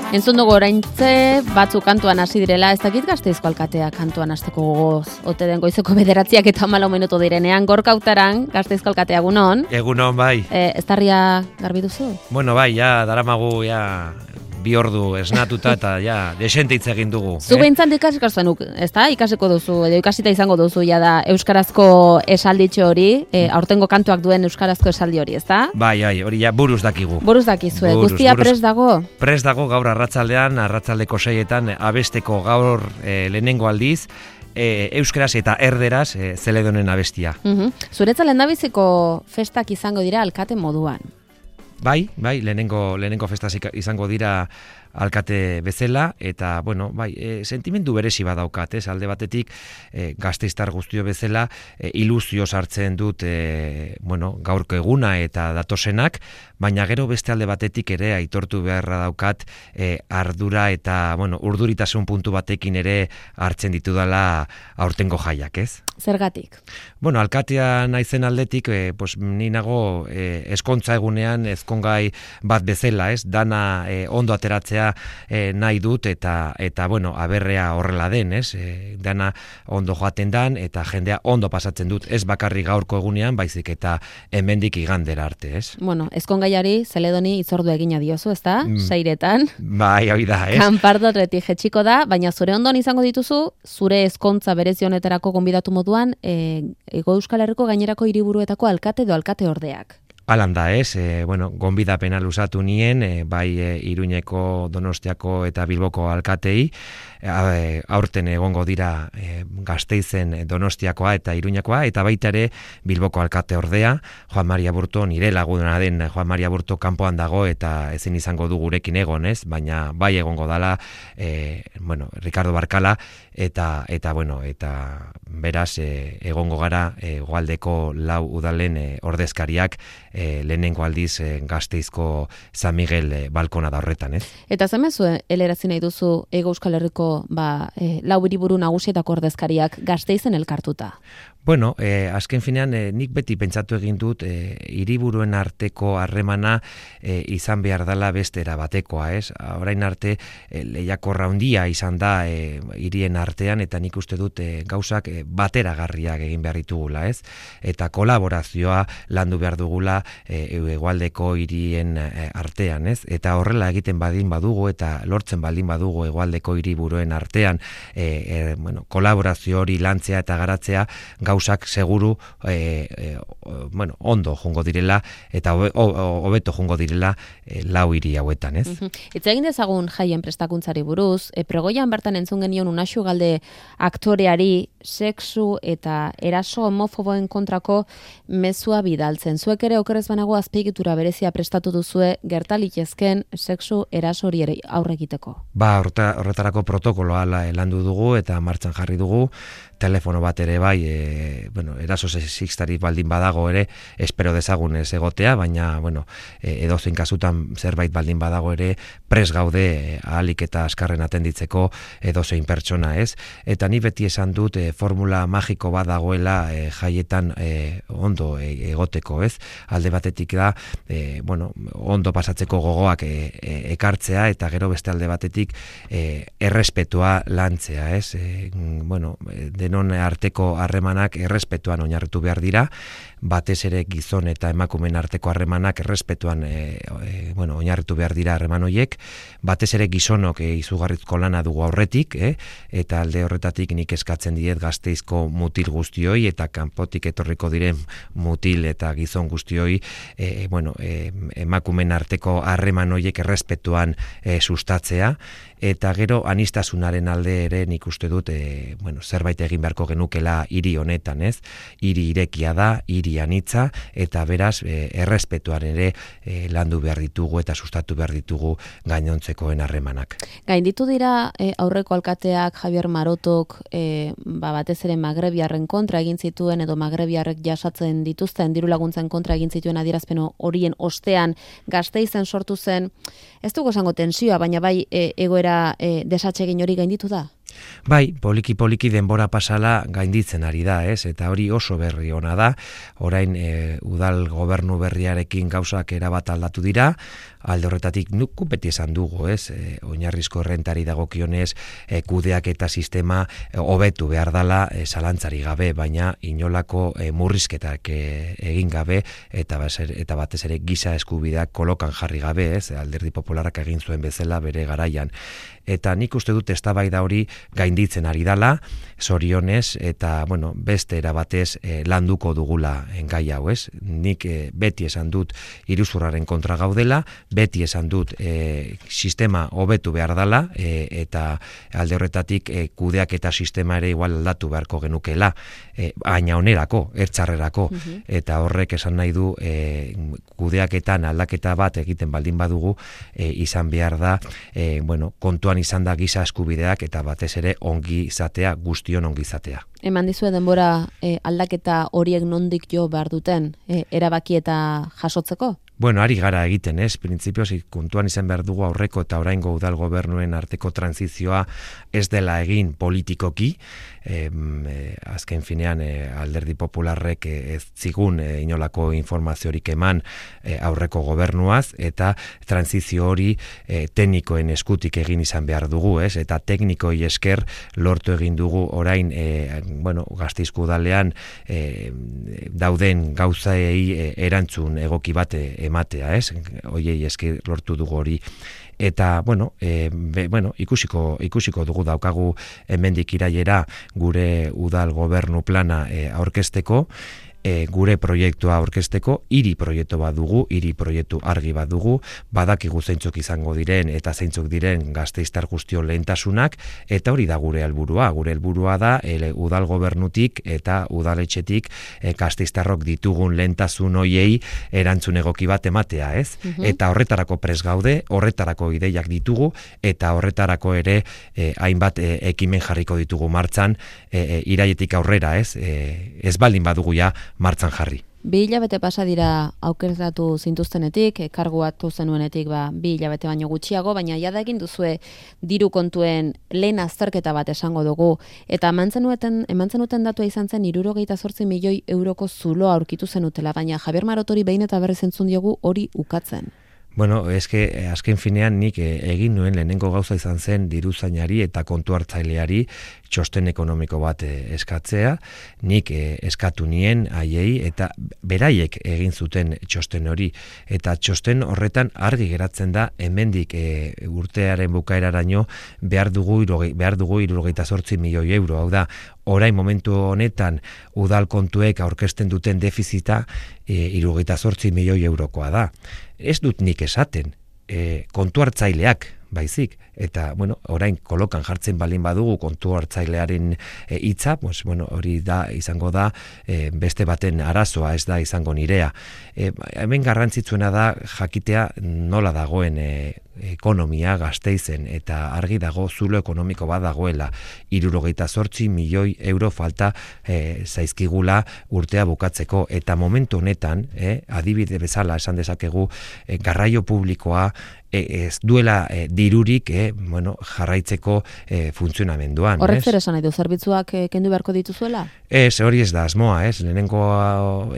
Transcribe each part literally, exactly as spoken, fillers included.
Entzun dugu oraintze batzuk kantuan hasi direla, ez dakit Gasteizko alkatea kantuan hasteko gogoz. Ote den goizeko bederatziak eta hamalau minutu direnean, Gorka Utaran, Gasteizko alkatea egunon. Egunon, bai. Eh, eztarria garbi duzu? Bueno, bai, ja, daramagu, ja, bi ordu esnatuta eta ja, desente hitz egin dugu. Zu eh? behintzat ikasiko zenuk, ez da? Ikasiko duzu, edo ikasita izango duzu, ja da, euskarazko esalditxo hori, e, aurtengo kantuak duen euskarazko esaldi hori, ez da? Bai, bai, hori ja, buruz dakigu. Buruz dakizue, Buruz, guztia buruz. prest dago? Prest dago gaur arratzaldean, arratzaldeko seietan, abesteko gaur e, lehenengo aldiz, e, euskaraz eta erderaz e, Zeledonen abestia. Uh-huh. Zuretzat lehendabiziko festak izango dira alkate moduan? Bai, bai, lehenengo, lehenengo festaz izango dira alkate bezala, eta, bueno, bai, e, sentimendu berezi badaukat, ez, alde batetik, e, gasteiztar guztio bezala, e, ilusio sartzen dut, e, bueno, gaurko eguna eta datosenak, baina gero beste alde batetik ere aitortu beharra daukat, e, ardura eta, bueno, urduritasun puntu batekin ere hartzen ditudala aurtengo jaiak, ez? Zergatik? Bueno, alkatea naizen aldetik, e, pues, ni nago e, eskontza egunean ezkongai bat bezala, ez? Dana e, ondo ateratzea e, nahi dut eta, eta bueno, aberrea horrela den, ez? E, dana ondo joaten dan eta jendea ondo pasatzen dut, ez bakarrik gaurko egunean, baizik eta hemendik igandera arte, ez? Bueno, ezkongaiari Zeledoni itzordu egina diozu, ez da? Mm. Seiretan. Bai, hori da, ez? Kanpardorretik jetxiko da, baina zure ondon izango dituzu, zure ezkontza berezi honetarako gonbidatu moduan, e, Ego Euskal Herriko gainerako hiriburuetako alkate edo alkate ordeak. Alan da, ez, e, bueno, gonbidapena luzatu nien, e, bai e, Iruñeko, Donostiako eta Bilboko alkatei, e, aurten egongo dira e, Gasteizen Donostiakoa eta Iruñakoa, eta baita ere Bilboko alkate ordea, Juan Maria Burto, nire laguna den Juan Maria Burto kanpoan dago eta ezin izango du gurekin egon, ez, baina bai egongo dala, e, bueno, Ricardo Barkala, eta, eta bueno, eta beraz e, egongo gara e, Goaldeko lau udalen e, ordezkariak, E, lehenengo aldiz e, Gasteizko San Miguel e, balkona da horretan, ez? Eta zemezu helerazi nahi duzu Ego Euskal Herriko ba, e, lau hiriburu nagusietako ordezkariak Gasteizen elkartuta? Bueno, eh, azken finean eh, nik beti pentsatu egin dut eh, hiriburuen arteko harremana eh, izan behar dela bestera batekoa, ez? Orain arte eh, lehiakorra handia izan da eh, hirien artean eta nik uste dut eh, gauzak eh, bateragarriak egin behar ditugula, ez? Eta kolaborazioa landu behar dugula eh, hegoaldeko hirien eh, artean, ez? Eta horrela egiten badin badugu eta lortzen baldin badugu hegoaldeko hiriburuen artean eh, eh, bueno, kolaborazio hori lantzea eta garatzea gauzak seguru e, e, bueno, ondo jungo direla eta hobeto jungo direla e, lau hiri hauetan, ez? Uh-huh. Itz egin dezagun jaien prestakuntzari buruz, e, pregoian bertan entzun genion Unaxu Galde aktoreari sexu eta eraso homofoboen kontrako mezua bidaltzen. Zuek ere okerrez banago azpiegitura berezia prestatu duzue gertalitezken sexu eraso hori ere aurre egiteko. Ba, horretarako protokoloa landu dugu eta martxan jarri dugu, telefono bat ere bai, e, bueno, eraso sexistari baldin badago ere, espero dezagun ez egotea, baina, bueno, e, edozein kasutan zerbait baldin badago ere, pres gaude e, ahalik eta askarren atenditzeko edozein pertsona, ez? Eta ni beti esan dut e, formula magiko bat dagoela e, jaietan e, ondo e, egoteko, ez? Alde batetik da, e, bueno, ondo pasatzeko gogoak e, e, ekartzea, eta gero beste alde batetik e, errespetua lantzea, ez? E, bueno, denon arteko harremanak errespetuan oinarritu behar dira, batez ere gizon eta emakumeen arteko harremanak errespetuan e, e, bueno, oinarritu behar dira harreman horiek, batez ere gizonok e, izugarrizko lana dugu aurretik, e, eta alde horretatik nik eskatzen diet Gasteizko mutil guztioi eta kanpotik etorriko diren mutil eta gizon guztioi, e, bueno, e, emakumeen arteko harreman horiek errespetuan e, sustatzea, eta gero anistasunaren alde ere nik uste dut e, bueno, zerbait egin beharko genukela hiri honetan, ez? Hiri irekia da, hiri anitza, eta beraz e, errespetuan ere e, landu behar ditugu eta sustatu behar ditugu gainontzekoen harremanak. Gainditu dira e, aurreko alkateak Javier Marotok e, ba, batez ere magrebiarren kontra egin zituen edo magrebiarrek jasatzen dituzten diru laguntzen kontra egin zituen adierazpen horien ostean Gasteizen sortu zen, ez dugu esango tensioa, baina bai e, egoera e, desatsegin hori gainditu da? Bai, poliki-poliki denbora pasala gainditzen ari da, ez? Eta hori oso berri ona da. Orain e, udal gobernu berriarekin gauzak erabat aldatu dira. alde horretatik nuku beti esan dugu, ez, e, oinarrizko errentari dagokionez, e, kudeak eta sistema hobetu e, behar dala e, zalantzari gabe, baina inolako e, murrizketak e, egin gabe, eta, baser, eta batez ere giza eskubideak kolokan jarri gabe, ez, Alderdi Popularrak egin zuen bezala bere garaian. Eta nik uste dut eztabaida hori gainditzen ari dala, zorionez, eta bueno, beste erabatez e, landuko dugula gai hau, ez? Nik e, beti esan dut iruzurraren kontra gaudela, beti esan dut e, sistema hobetu behar dala, e, eta alde horretatik e, kudeak eta sistema ere igual aldatu beharko genukela, e, baina onerako, ertzarrerako, uh-huh. Eta horrek esan nahi du e, kudeaketan aldaketa bat egiten baldin badugu, e, izan behar da, e, bueno, kontuan izan da giza eskubideak eta batez ere ongi izatea, guztion ongi izatea. Eman dizue denbora e, aldaketa horiek nondik jo behar duten, e, erabaki eta jasotzeko? Bueno, ari gara egiten, ez? Printzipioz, kontuan izan behar dugu aurreko eta oraingo udal gobernuen arteko transizioa ez dela egin politikoki, e, e, azken finean e, Alderdi Popularrek e, ez zigun e, inolako informaziorik eman e, aurreko gobernuaz, eta transizio hori e, teknikoen eskutik egin izan behar dugu, ez? Eta teknikoi esker lortu egin dugu orain, e, bueno, Gasteizko udalean e, dauden gauzaei e, erantzun egoki bat e, ematea, ez? Oiei eski lortu dugu hori. Eta, bueno, e, be, bueno ikusiko, ikusiko dugu daukagu hemendik irailera gure udal gobernu plana e, aurkezteko, e, gure proiektua aurkezteko, hiri proiektu bat dugu, hiri proiektu argi bat dugu, badakigu zeintzuk izango diren eta zeintzuk diren gasteiztar guztion lehentasunak, eta hori da gure helburua. Gure helburua da ele, udal gobernutik eta udaletxetik e, gasteiztarrok ditugun lehentasun hoiei erantzun egoki bat ematea, ez? Uh-huh. Eta horretarako pres gaude, horretarako ideiak ditugu, eta horretarako ere e, hainbat e, ekimen jarriko ditugu martxan e, e, irailetik aurrera, ez? E, ez baldin badugu ja martzan jarri. Bi hilabete pasa dira aukeratu zintuztenetik, kargu hartu zenuenetik ba, bi hilabete baino gutxiago, baina jada egin duzue diru kontuen lehen azterketa bat esango dugu, eta eman zenuten, eman zenuten datua izan zen hirurogeita zortzi milioi euroko zuloa aurkitu zenutela, baina Javier Marotori behin eta berriz entzun diogu hori ukatzen. Bueno, eske azken finean nik egin nuen lehenengo gauza izan zen diruzainari eta kontu hartzaileari txosten ekonomiko bat eskatzea, nik eskatu nien haiei eta beraiek egin zuten txosten hori, eta txosten horretan argi geratzen da hemendik e, urtearen bukaeraraino behar dugu behar dugu hirurogeita zortzi milioi euro, hau da orain momentu honetan udal kontuek aurkezten duten defizita e, hirurogeita zortzi milioi eurokoa da. Ez dut nik esaten, e, kontu hartzaileak baizik, eta bueno, orain kolokan jartzen balin badugu kontu hartzailearen hitza, e, pues, bueno, hori da izango da e, beste baten arazoa, ez da izango nirea. E, hemen garrantzitsuena da jakitea nola dagoen e, ekonomia Gasteizen, eta argi dago zulo ekonomiko bat dagoela, hirurogeita zortzi milioi euro falta e, zaizkigula urtea bukatzeko, eta momentu honetan, e, adibide bezala esan dezakegu, e, garraio publikoa ez duela e, dirurik e, bueno, jarraitzeko e, funtzionamenduan. Horrek zer esan nahi du, zerbitzuak e, kendu beharko dituzuela? Ez, hori ez da asmoa, ez? Lehenengo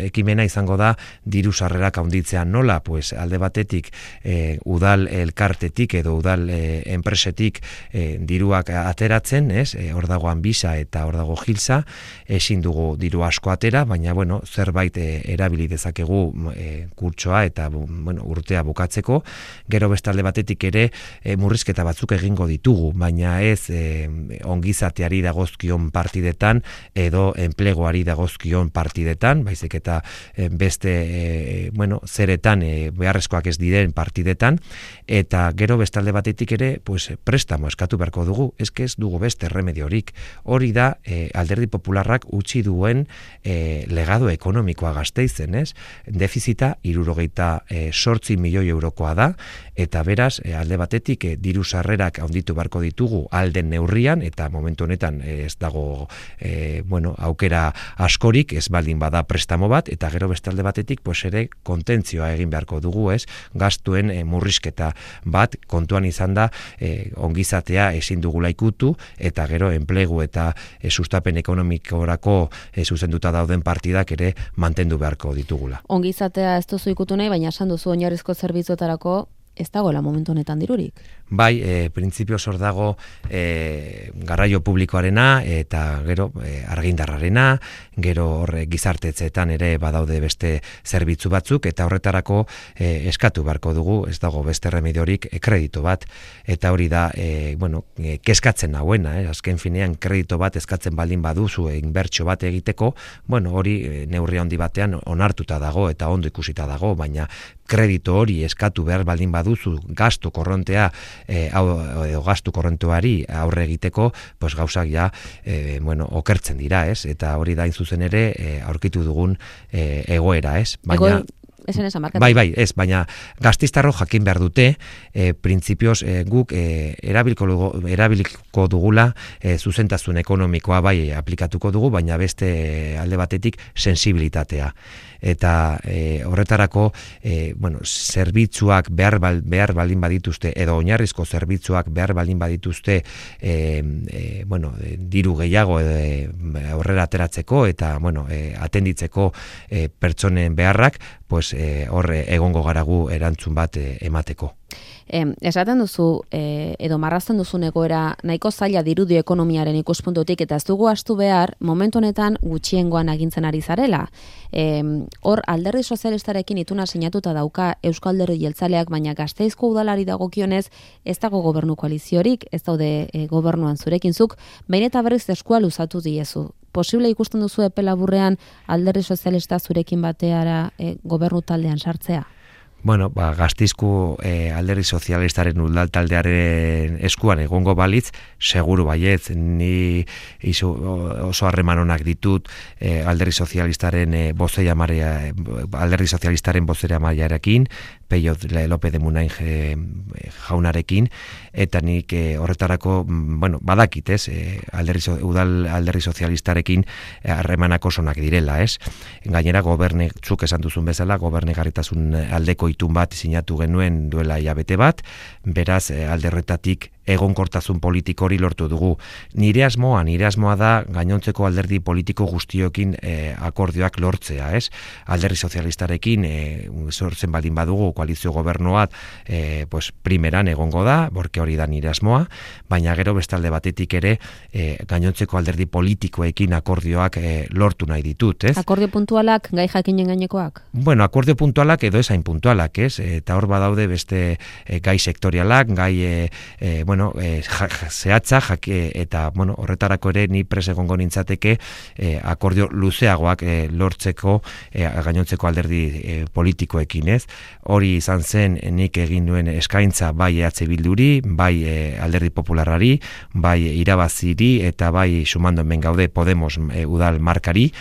ekimena izango da diru sarrerak handitzea nola, pues alde batetik e, udal elkartetik edo udal e, enpresetik e, diruak ateratzen, ez? E, hor dago Anbisa eta hor dago Gilsa, ezin dugu diru asko atera, baina bueno, zerbait e, erabili dezakegu e, kurtsoa eta bueno, urtea bukatzeko, gero beste alde batetik ere e, murrizketa batzuk egingo ditugu, baina ez e, ongizateari dagozkion partidetan edo enplegoari dagozkion partidetan, baizik eta e, beste e, bueno, zeretan e, beharrezkoak ez diren partidetan, eta gero beste alde batetik ere pues, prestamo eskatu beharko dugu, eske ez dugu beste remediorik. Hori da e, Alderdi Popularrak utzi duen e, legado ekonomikoa Gasteizen, ez? Defizita hirurogeita zortzi milioi eurokoa da, eta beraz, e, alde batetik e, diru sarrerak handitu beharko ditugu alden neurrian, eta momentu honetan e, ez dago e, bueno, aukera askorik, ez baldin bada prestamo bat, eta gero beste alde batetik pues ere kontentzioa egin beharko dugu, ez? Gastuen e, murrizketa bat kontuan izan da e, ongizatea ezin dugula ikutu, eta gero enplegu eta e, sustapen ekonomikorako e, zuzenduta dauden partidak ere mantendu beharko ditugula. Ongizatea ez duzu ikutu nahi, baina esan duzu oinarrizko zerbitzuetarako ez dagoela momentu honetan dirurik. Bai, e, printzipioz hor dago e, garraio publikoarena eta gero e, argindarrarena, gero horre gizartetzeetan ere badaude beste zerbitzu batzuk, eta horretarako e, eskatu beharko dugu, ez dago beste remediorik e, kreditu bat, eta hori da, e, bueno, e, keskatzen nauena, eh? Azken finean kreditu bat eskatzen baldin baduzu inbertsio bat egiteko, bueno, hori e, neurri handi batean onartuta dago eta ondo ikusita dago, baina kreditu hori eskatu behar baldin baduzu gastu korrontea e, hau, edo gastu korrontuari aurre egiteko, pues gauzak ja e, bueno, okertzen dira, ez? Eta hori da zuzen ere e, aurkitu dugun e, egoera, ez? Baina Esen esan markatu. Bai, bai, ez, baina gaztistarro jakin behar dute, e, printzipioz e, guk e, erabiliko, erabiliko dugula e, zuzentasun ekonomikoa bai aplikatuko dugu, baina beste alde batetik sensibilitatea. Eta e, horretarako e, bueno, zerbitzuak behar, bal, behar baldin badituzte, edo oinarrizko zerbitzuak behar baldin badituzte e, e, bueno, e, diru gehiago e, aurrera ateratzeko eta bueno, e, atenditzeko e, pertsonen beharrak, pues eh, horre egongo garagu erantzun bat eh, emateko. Eh, esaten duzu, eh, edo marrazten duzun egoera nahiko zaila dirudi ekonomiaren ikuspuntutik, eta ez dugu astu behar, momentu honetan gutxiengoan agintzen ari zarela. Eh, hor, alderdi sozialistarekin ituna sinatuta dauka Euskal Alderdi Jeltzaleak, baina Gasteizko udalari dagokionez ez dago gobernu koaliziorik, ez daude eh, gobernuan zurekin zuk, behin eta berriz eskua luzatu diezu. Posible ikusten duzu epe laburrean alderdi sozialista zurekin bateara e, gobernu taldean sartzea? Bueno, ba, Gasteizko e, alderdi sozialistaren udal taldearen eskuan egongo balitz, seguru baietz, ni izu, oso harreman onak ditut e, alderdi sozialistaren e, bozea maria, alderdi sozialistaren bozea mariarekin, Peio López de Munain jaunarekin, eta nik e, horretarako, bueno, badakit, ez, e, alderdi, udal alderdi sozialistarekin harremanak osonak direla, ez? Gainera, goberne, zuk esan duzun bezala, gobernegarritasun aldeko itun bat sinatu genuen duela hilabete bat, beraz, e, alderretatik egonkortasun politiko hori lortu dugu. Nire asmoa, nire asmoa da gainontzeko alderdi politiko guztiokin e, akordioak lortzea, ez? Alderdi sozialistarekin e, sortzen baldin badugu koalizio gobernuat e, pues, primeran egongo da, borke hori da nire asmoa, baina gero bestalde batetik ere e, gainontzeko alderdi politikoekin akordioak e, lortu nahi ditut, ez? Akordio puntualak, gai jakinen gainekoak? Bueno, akordio puntualak edo esain puntualak, ez? Eta hor badaude beste e, gai sektorialak, gai e, e, bueno, eh, ja, zehatza, jake, eta bueno, horretarako ere ni pres egongo nintzateke eh, akordio luzeagoak eh, lortzeko eh, gainontzeko alderdi eh, politikoekin, ez? Hori izan zen nik egin duen eskaintza bai E H Bilduri, bai eh, alderdi popularrari, bai irabaziri eta bai sumando hemen gaude Podemos eh, udal markari,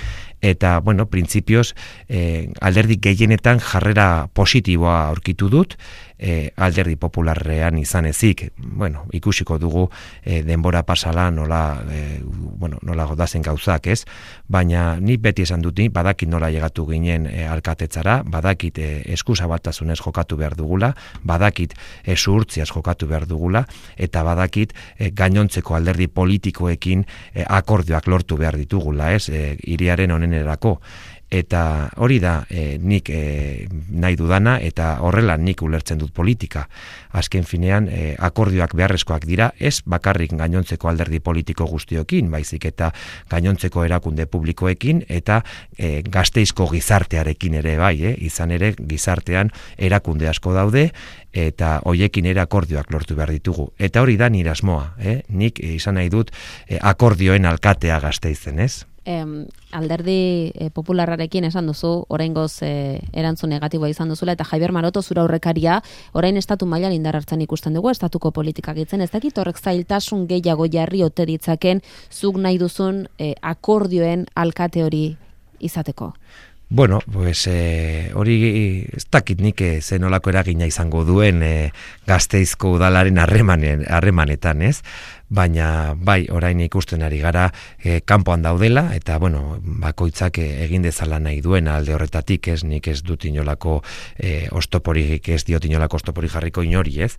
eta, bueno, printzipioz, eh, alderdi gehienetan jarrera positiboa aurkitu dut, eh, alderdi popularrean izan ezik, bueno, ikusiko dugu eh, denbora pasala nola, eh, bueno, nola godazen gauzak, ez? Baina ni beti esan dut, badakit nola llegatu ginen eh, alkatetzara, badakit eh, eskusa batasunez jokatu behar dugula, badakit eh, zuhurtziaz jokatu behar dugula, eta badakit eh, gainontzeko alderdi politikoekin eh, akordioak lortu behar ditugula, ez? Eh, iriaren honen erako. Eta hori da e, nik e, nahi dudana, eta horrela nik ulertzen dut politika. Azken finean e, akordioak beharrezkoak dira, ez bakarrik gainontzeko alderdi politiko guztiokin, baizik eta gainontzeko erakunde publikoekin, eta e, Gasteizko gizartearekin ere bai, eh? Izan ere gizartean erakunde asko daude, eta hoiekin ere akordioak lortu behar ditugu. Eta hori da nire asmoa, eh? Nik e, izan nahi dut e, akordioen alkatea Gasteizen, ez? Em, alderdi e, popularrarekin esan duzu, oraingoz e, erantzun negatiboa izan duzula, eta Javier Maroto zura aurrekaria, orain estatu mailan indar hartzen ikusten dugu, estatuko politikak itzen, ez dakit horrek zailtasun gehiago jarri ote ditzaken, zuk nahi duzun e, akordioen alkate hori izateko? Bueno, pues eh, hori ez dakit nik zen olako eragina izango duen eh, Gasteizko udalaren harremanen harremanetan, ez? Baina bai, orain ikusten ari gara eh, kanpoan daudela, eta bueno, bakoitzak eh, egin dezala nahi duen alde horretatik, ez? Nik ez dut inolako eh, ostoporik, ez diot inolako ostoporik jarriko inori, ez?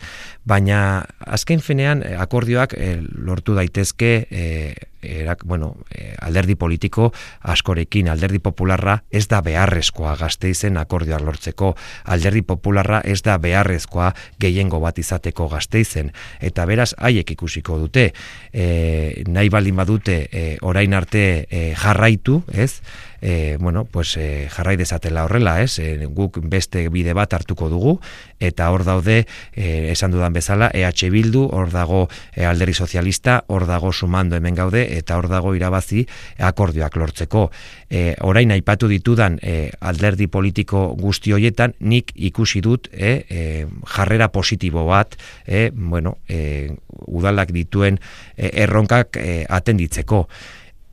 Baina azken finean eh, akordioak eh, lortu daitezke eh, erak, bueno, alderdi politiko askorekin, alderdi popularra ez da beharrezkoa Gasteizen akordioak lortzeko, alderdi popularra ez da beharrezkoa gehiengo bat izateko Gasteizen, eta beraz haiek ikusiko dute, e, nahi baldin badute e, orain arte e, jarraitu, ez? E, bueno, pues e, jarrai dezatela horrela, ez? E, guk beste bide bat hartuko dugu, eta hor daude, e, esan dudan bezala, E H Bildu, hor dago e, alderdi sozialista, hor dago sumando hemen gaude, eta hor dago irabazi akordioak lortzeko. E, orain aipatu ditudan e, alderdi politiko guzti hoietan, nik ikusi dut e, e, jarrera positibo bat, e, bueno, e, udalak dituen e, erronkak e, atenditzeko.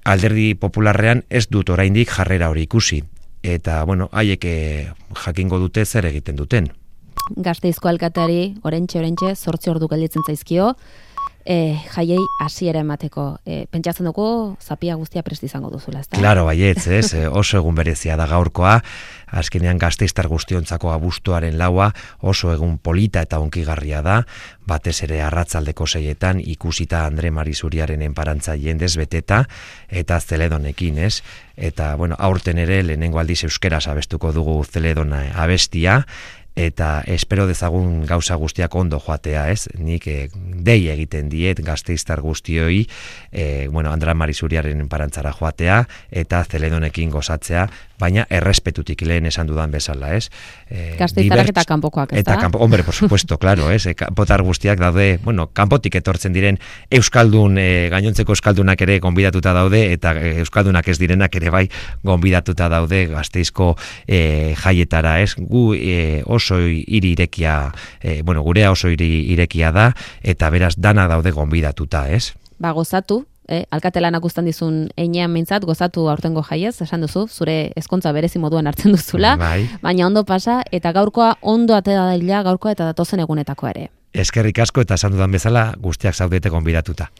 Alderdi popularrean ez dut oraindik jarrera hori ikusi. Eta, bueno, haiek jakingo dute zer egiten duten. Gasteizko alkateari, orentxe, orentxe, zortzi ordu gelditzen zaizkio, e, jaiei hasiera emateko. E, pentsatzen dugu, zapia guztia prest izango duzula, ezta? Claro, baietz, ez? Oso egun berezia da gaurkoa, azkenean Gasteiztar guztiontzako abuztuaren laua oso egun polita eta onkigarria da, batez ere arratzaldeko seietan ikusita Andre Marizuriaren enparantza jendez beteta eta Zeledonekin, ez? Eta, bueno, aurten ere lehenengo aldiz euskeraz abestuko dugu Zeledona abestia, eta espero dezagun gauza guztiak ondo joatea, ez? Nik eh, dei egiten diet Gasteiztar guztioi, eh, bueno, Andra Marizuriaren parantzara joatea, eta Zeledonekin gozatzea, baina errespetutik lehen esan dudan bezala, ez? Eh, Gasteiztarrak eta kanpokoak, ez da? Eta kanpo, hombre, por supuesto, claro, ez? Kanpotar guztiak daude, bueno, kanpotik etortzen diren euskaldun, eh, gainontzeko euskaldunak ere gonbidatuta daude, eta euskaldunak ez direnak ere bai gonbidatuta daude Gasteizko eh, jaietara, ez? Gu eh, oso hiri irekia, eh, bueno, gurea oso hiri irekia da, eta beraz dana daude gonbidatuta, ez? Ba, gozatu, eh? Alkatelanak uztan dizun einean mintzat, gozatu aurtengo jaiez, esan duzu, zure ezkontza berezi moduan hartzen duzula, bai. Baina ondo pasa, eta gaurkoa ondo atera daila, gaurkoa eta datozen egunetako ere. Eskerrik asko eta esan dudan bezala guztiak zaudete gonbidatuta.